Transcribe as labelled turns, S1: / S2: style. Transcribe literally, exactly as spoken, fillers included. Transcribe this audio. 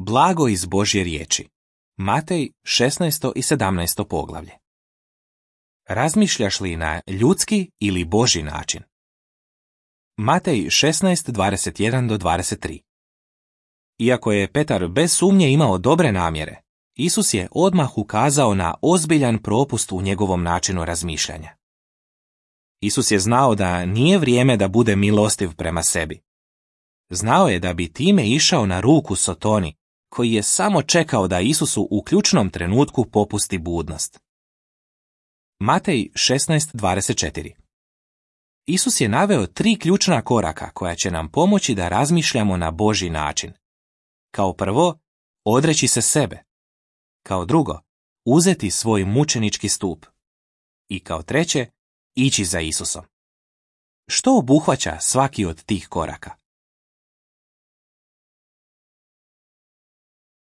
S1: Blago iz Božje riječi. Matej šesnaesto i sedamnaesto poglavlje. Razmišljaš li na ljudski ili Božji način? Matej šesnaest dvadeset jedan do dvadeset tri. Iako je Petar bez sumnje imao dobre namjere, Isus je odmah ukazao na ozbiljan propust u njegovom načinu razmišljanja. Isus je znao da nije vrijeme da bude milostiv prema sebi. Znao je da bi time išao na ruku Sotoni, koji je samo čekao da Isusu u ključnom trenutku popusti budnost. Matej šesnaest dvadeset četiri. Isus je naveo tri ključna koraka koja će nam pomoći da razmišljamo na Božji način. Kao prvo, odreći se sebe. Kao drugo, uzeti svoj mučenički stup. I kao treće, ići za Isusom. Što obuhvaća svaki od tih koraka?